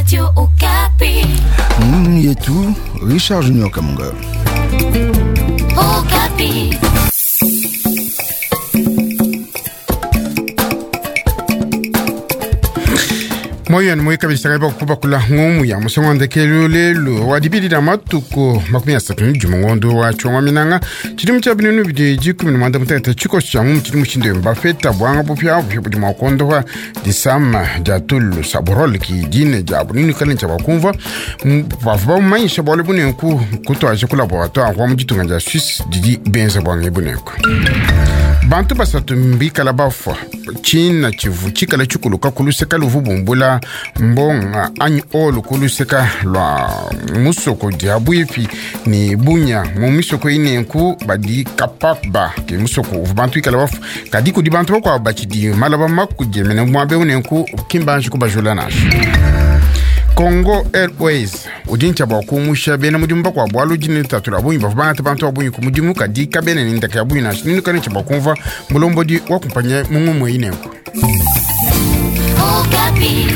Radio Okapi. Yetu Richard Junior Kamunga. Okapi. Moyo ni kabisa kaiba kubakula ng'omu ya musongo ndekelu lelu wa dibidi da matuku 31 ngondo wa chongwa minanga chilimu cha binunu bidi 16 chiko cha ng'omu chilimu chinde mbafeta bwanga bupya bupya budi mwakondo wa disama ja tulu saborol ki dine ja bunini kale cha bakumva bavuba manyisha bwale bunenku kutwaje ku laboratoire wa muditunga ja Suisse didi benza bwanga bunenku. Bantu basatu mbikala bafwa china chivu chikala chikuluka kuluseka luvubumbula mbonga anyi olu kuluseka lwa musoko dia bwipi ni bunya mu misoko inenku badi kapaba ke musoko uvu bantu ikala bafwa kadi kudi bantu bakwabo bachidi malaba makudie mene mwabe unenku kimbanji kubajula nasho. Congo Airways udi bwa kumusha bena mudimu bakwabo alu dine tatu la bunyi bavua bangata bantu ba bunyi ku mudimu kadi kabene ni ndaka ya bunyi nansha ninu kane tshia bua kumva mulombodi wa kumpanya mungumu inenku. Okapi.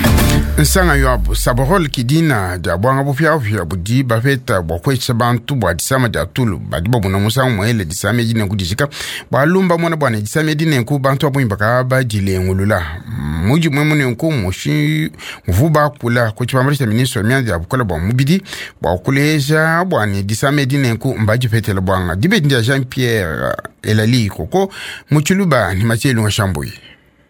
Nsanga yo saborol kidina dia bwanga bupyapya budi bapeta bua kwesha bantu bua disama dia tulu badi babuna musangu mwele disama edi nenku dijika bwalumba mwana bwana disama edi nenku bantu babunyi bakaba badilengulula muji mwe munenku mushi muvu bakula ku tshibambalu tshia ministre wa mianda ya bukola bua mubidi bua kuleja bwani disama edi nenku mbadipetela bwanga dibedi dia Jean Pierre Elali Koko mutshiluba ni Mathieu Shambuyi.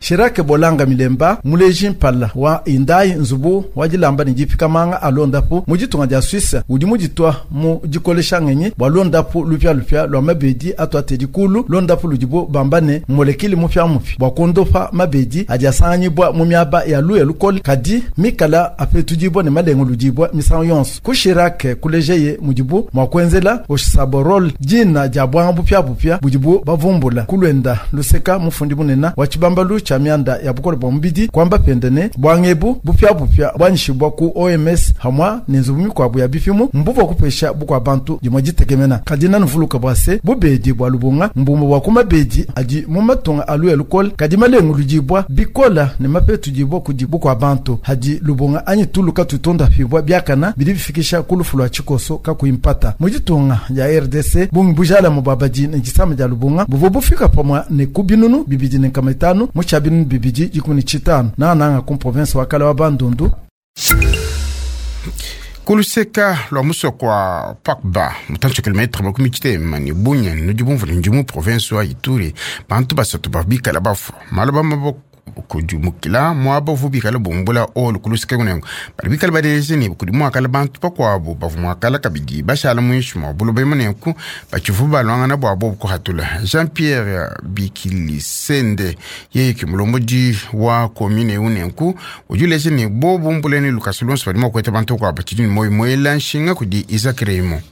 Shirake Bolanga Milemba muleji mpala wa indai nzubu wa dilamba ne dipikamanga alondapu mu ditunga dia Suisse udi muditwa mu dikolesha ngenyi bua londapu lupia lua mabedi atuatedi kulu londapu ludibu bamba ne molekile mupia mupi bua kondopa mabedi adi asanganyibwa mu miaba ya luya lukole kadi mikala apetudibwa ne malengo ludibwa misangu yonso ku Shirake kulejeye mudibu mua kuenzela oshaborol dina dia bwanga bupia bupia budibu bavumbula kulwenda luseka mufundi munena wa tshibambalu cha mianda ya bukole bwa mubidi kwamba pendene bwangebu bupya bupya bwanyishibwa ku OMS hamwa ne nzubu mikwabu ya bipimu mbuva kupesha bukwa bantu dimwe ditekemena kadi nanuvuluka bwase bubedi bwa lubunga mbumbu bwa kumabedi adi mu matunga alu ya lukole kadi malengu ludibwa bikola ne mapetu dibwa kudi bukwa bantu hadi lubunga anyi tuluka tutonda fibwa byakana bidi bifikisha kulufu lwa tshikoso kakuimpata mu ditunga ya RDC bungi bujala mu babadi ne disama dia lubunga buvo bufika pamwa ne kubinunu bibidi ne nkama itanu mu tshia binunu bibidi 15 nananga ku province wa kala wa Bandundu. Kuluseka lwa musoko wa Pakba mutantshi kilometre 60 ni bunya nudi bumvula ndi mu province wa Ituri bantu basatu babikala bafwa malaba maboko kudimukila mwaba uvu bikala bumbula olu kuluseka kunengo bali bikala badelese ni kudi mwakala bantu bakwabo bavu mwakala kabidi bashala mwishi mwa buloba munenku bachivu balwangana bwabo bukuhatula. Jean Pierre Bikilisende yeye ki mulombodi wa commune unenku udi ni bo bumbula ni lukasi lonso badi mwakweta bantu kwa bachidi ni moyo mwela nshinga kudi Isaac Raymond.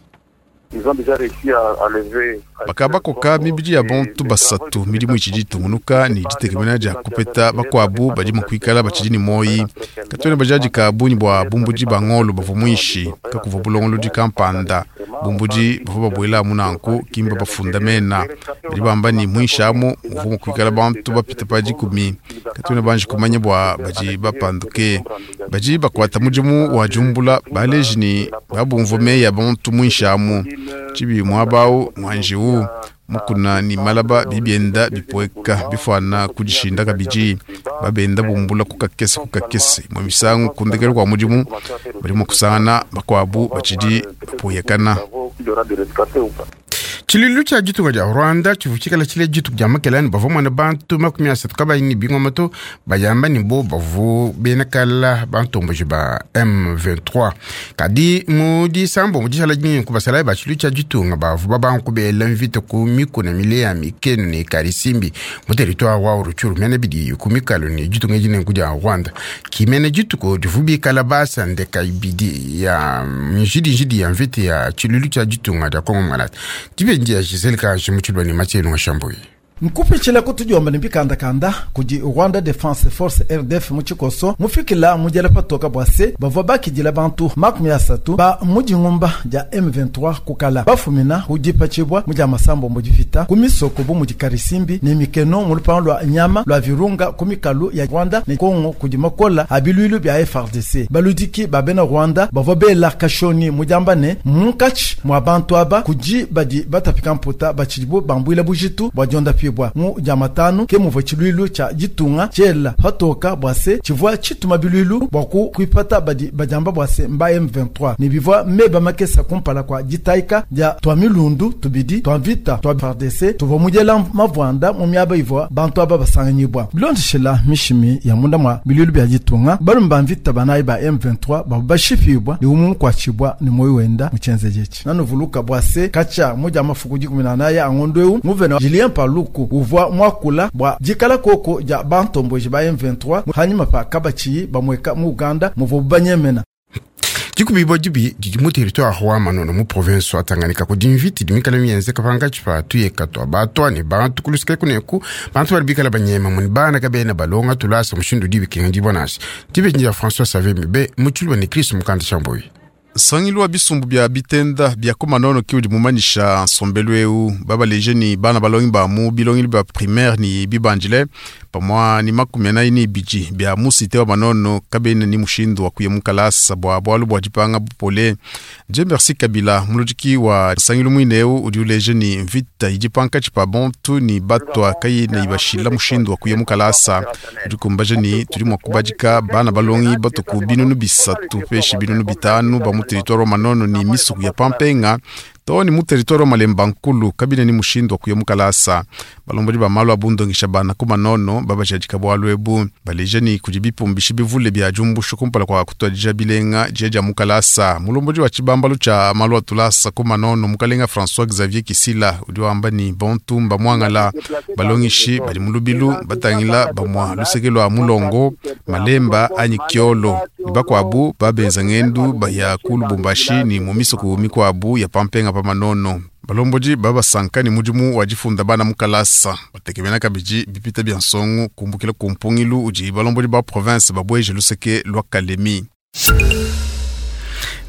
Bakabakoka mibidi ya bantu basatu midimu ichidi tungunuka ni ditekemena dia kupeta bakwabu badi mukwikala bachidi ni moyi katwene bajaji ka bunyi bwa bumbudi bangolo bavua mwishi kakuva bulongolodi kampanda bumbudi bavua babwela munanku kimba bafunda mena badi bamba ni mwishi amu muvua mukwikala bantu bapita pa dikumi katwene banji kumanya bwa badi bapanduke badi bakwata mudimu wa jumbula baleji ni babumva meya bantu mwishi amu chibi mwabau mwanjiwu mukuna ni malaba bibyenda bipweka bifwana kudishinda kabiji babenda bumbula kukakese kukakese mwe misangu kundekela kwa mudimu bali mukusana bakwabu bachidi bapuyekana. Tshililu tshia ditunga dia Rwanda tshivu tshikala tshile dituku dia makelani bavua mwana bantu 30 kabayi ni bingoma to bayamba ni bo bavu bena kala bantomboji ba M23 kadi mu disambo mu dishala dinyenku basalayi ba tshilu tshia ditunga bavu babanku bela mvita ku mikuna mile ya mikenu ne Karisimbi mu territoire wa Rutshuru mene bidi ku mikalo ne ditunga dinenku dia Rwanda kimene dituku divu bikala basandeka ibidi ya njidi ya mvita ya tshiluilu tshia ditunga dia Kongo Mwanata. Dibe ndia Giselle Kaje mu tshilwa ni Mathieu Lunga Shambuyi. Nkupitshila kutudiomba ne bikandakanda kudi Rwanda Defense Force RDF mu tshikoso mufikila mujela patoka bua se bavua bakidila bantu 30 ba mujingumba dia M23 kukala bafumina kudipatshibwa mu dia masambombo dipita ku misoko bu mudi Karisimbi ne mikeno mu lupangu lwa nyama lwa Virunga ku mikalu ya Rwanda ne Kongo kudi makola a biluilu bia FARDC. Baludiki ba bena Rwanda bavua bela kashoni mujamba ne munkatshi mwa bantu aba kudi badi batapika mputa batshidibu bambuila bujitu bua dionda pibwa mu diamatanu ke muvua tshiluilu tshia ditunga tshiela patoka bua se tshivua tshituma biluilu bua kuipata badi badiamba bua se mba M23 ne bivua meba makesa kumpala kua ditaika dia tua milundu tubidi tua mvita tua FARDC tuvua mujela mavuanda mu miaba ivua bantu aba basanganyibwa. Bilondeshela mishimi ya munda mwa biluilu bia ditunga balume ba mvita banayi ba M23 bavua bashipibwa ne umwe mukuatshibwa ne moyo wenda mu tshienzeji etshi. Nanuvuluka bua se katshia mudia mafuku 18 a ngondo eu nguvena Julien Paluku uvua mwakula bua dikala koko dia bantomboji ba M23 hanyuma pa kabatshiyi bamweka mu Uganda muvua banyemena. Dikubibwa dibi didi mu territoire wa Manono mu province wa Tanganyika kudi mvita idi mikale mienzeka pankatshi pa tuyeka tua batwa ne bantu kulusika kuneku bantu badi bikala banyema muni bana kabena balonga tulasa mushindu udi bikengedibua nansha. Dibeji dia François Xavier Mibe mu tshiluba ne Chris Mukanda Shamboyi. Nsangilu wa bisumbu bia bitenda bia ku Manono ke udi mumanyisha nsombelu eu. Babaleje ni bana balongi ba mu bilongelu bia primaire ni bibandile pamua ni 42 bia mu cité wa Manono kabena ni mushindu wa kuya mu kalasa bua bualu bua dipanga bupole. Dieu merci Kabila muludiki wa nsangilu muine eu udi uleje ni mvita idi pankatshi pa bantu ni batwa kayina ibashila mushindu wa kuya mu kalasa. Udi kumbaja ni tudi mua kubadika bana balongi batuku 300 peshi 500 ba mu territoire wa Manono ni misuku ya Pampenga to ni mu territoire wa Malemba Nkulu kabine ni mushindu wa kuya mu kalasa. Balombodi ba malu abundongesha bana ku Manono babajadika bualu ebu baleje ni kudi bipumbishi bivule bia jumbusho kumpala kwa kutwadija bilenga jia dia mu kalasa. Mulombodi wa tshibambalu tshia malu atulasa ku Manono mukalenga François Xavier Kisila udi wamba ni bontu mba mwangala balongishi badi mu lubilu batangila bamwa luseke lwa mulongo Malemba anyi Kiolo ni bakwabu babenza ngendu baya ku Lubumbashi ni mu misuku mikwabu ya Pampenga pa Manono. Balombodi babasanka ni mudimu wa difunda bana mu kalasa batekemena kabidi bipita bia nsongo kumbukila ku mpungilu udi balombodi ba province babweje luseke lwa Kalemi.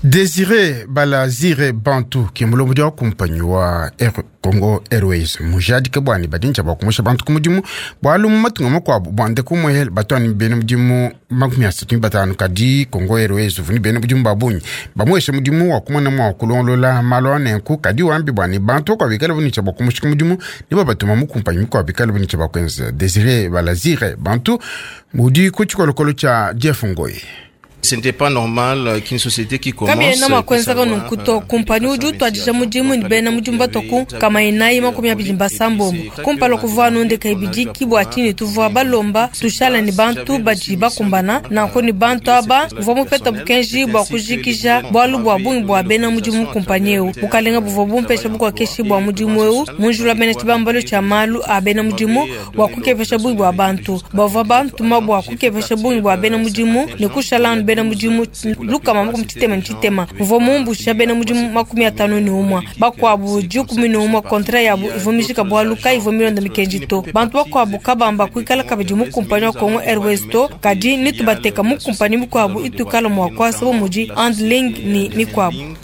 Désiré Balazire Bantu ke mulombodi wa kumpanyi wa Air Congo Airways mujadike bwani badinja bwa kumusha bantu ku mudimu bwalu mu matunga makuabu bwande kumwehela batwani bene mudimu 35 kadi Congo Airways uvuni bene mudimu babunyi bamweshe mudimu wa kumona mwa kulongolola malu anenku kadi wambi bwani bantu kwa bikala bunicha bwa kumusha ku mudimu ne babatuma mu kumpanyi mikuabu bikala bunicha bwa kwenza. Désiré Balazire Bantu mudi ku tshikolokolo tshia Jeff Ngoyi. Ce n'était pas normal qu'une société qui commence kabiyena makwenzaka nunkuto kumpanyi udi utwadija mudimu ni bena mudimu batoku kama inayi 26 kumpala kuvua nondeka ibidi kibwa tshini tuvua balomba tushala ni bantu badi bakumbana nanko ni bantu aba mvua mupeta bukenji bua kujikija bualu bua bungi bua bena mudimu kumpanyi eu bukalenga buvua bumpesha bukokeshi bua mudimu eu munjula bena tshibambalo tshia malu a bena mudimu bua kukepesha bungi bua bantu bavua bantuma bua kukepesha bungi bua bena mudimu ne kushala anu bena mudimu lukama 61 mvua mumbusha bena mudimu 51 bakwabu 11 kontra yabu ivua mijika bualu kaivua milonda mikenji to bantu bakwabu kabamba kuikala kabidi mu kumpanyi wa Congo Airways to kadi nitubateka mu kumpanyi mikwabu itukala mua kuasa bu mudi handling ni mikwabu.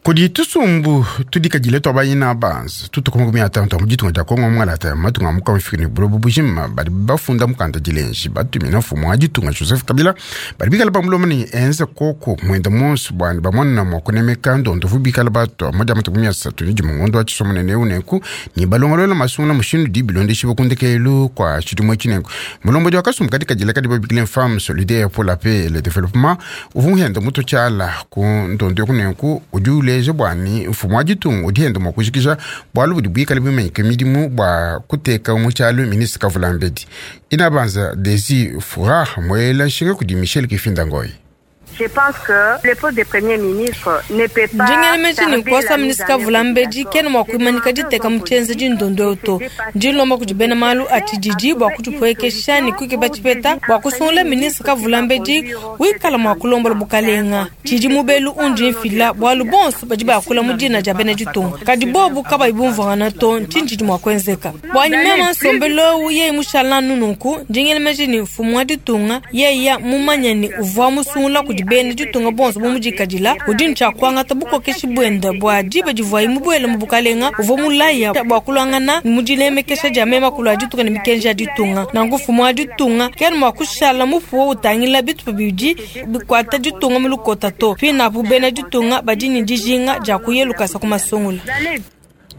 Kudi tusumbu tudikadile twa bayina banza tutuku 50 mu ditunga dia Kongo mwalata matunga muka mufika ne bulobo bujima badi bafunda mukanda dilenji batumina mfumu wa ditunga Joseph Kabila badi bikala bamuloma ne enza koko mwenda monso bwani bamona mwa kunemeka ndondovu bikala batwa moja matuku 31 ngondo wa tshisomonene unenku ni balongolola masungula mushindu di bilondeshi bakundekelu kwa tshidimo tshinenku mulombodi wa kasumbu kadikadile kadi babikile femme solidaire pour la paix et le développement uvua muhenda muto tshiala ku ndondo kunenku udi uleja bwani mfumu wa ditunga udi henda mua kujikija bualu budi buikale bumanyike midimu bua kuteka mu tshialu ministre Kavulambedi inabanza Desi Fura muela nshinga kudi Michel Kifinda Ngoyi. Ndi ngela meji ne, nkuasa minisita kavula mbedi kena mua kuimanyika diteka mu tshienzedi ndondo eu to. Ndi nlomba kudi bena malu a tshididi bua kudipuekesha ne kukeba tshipeta bua kusungula minisita kavula mbedi wikala mua kulombola bukalenga. Tshidi mubelu undi mfila, bualu bonso badi bakula mu dina dia bena ditunga, kadi bobu kabayi bumvuangana to, ntshinyi tshidi mua kuenzeka? Buanyi meme, nsombelu eu yeye mushala anu nunku, ndi ngela meji ne, mfumu wa ditunga yeya mumanye ne uvua musungula kudi bena ditunga bonso bu mudikadila, udi ne tshia kuangata bukokeshi buende bua diba divuaye mubuele mu bukalenga, uvua mulaya bua kuluangana mu dinemekesha dia mema kulu a ditunga ne mikenji ya ditunga. Nanku mfumu wa ditunga kena mua kushala mupuwe utangila bitupa bidi bikuata ditunga mu lukota to. Pinapu bena ditunga badi ne dijinga dia kuya lukasa ku masungula.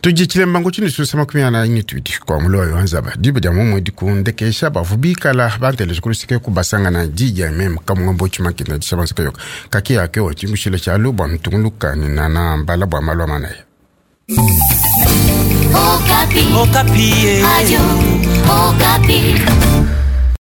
Tudi tshilembangu tshini susa 42 kwa muloyo wa nzaba diba dia momwe dikundekesha bavu bikala banteleja kuluseke kubasangana didia meme kamungombo tshimakina dishabanza yoka kaki yake wa tshingushila tshalu bua mutunguluka ni nana mbala bua malwa manaya. Okapi. Okapi. Radio Okapi.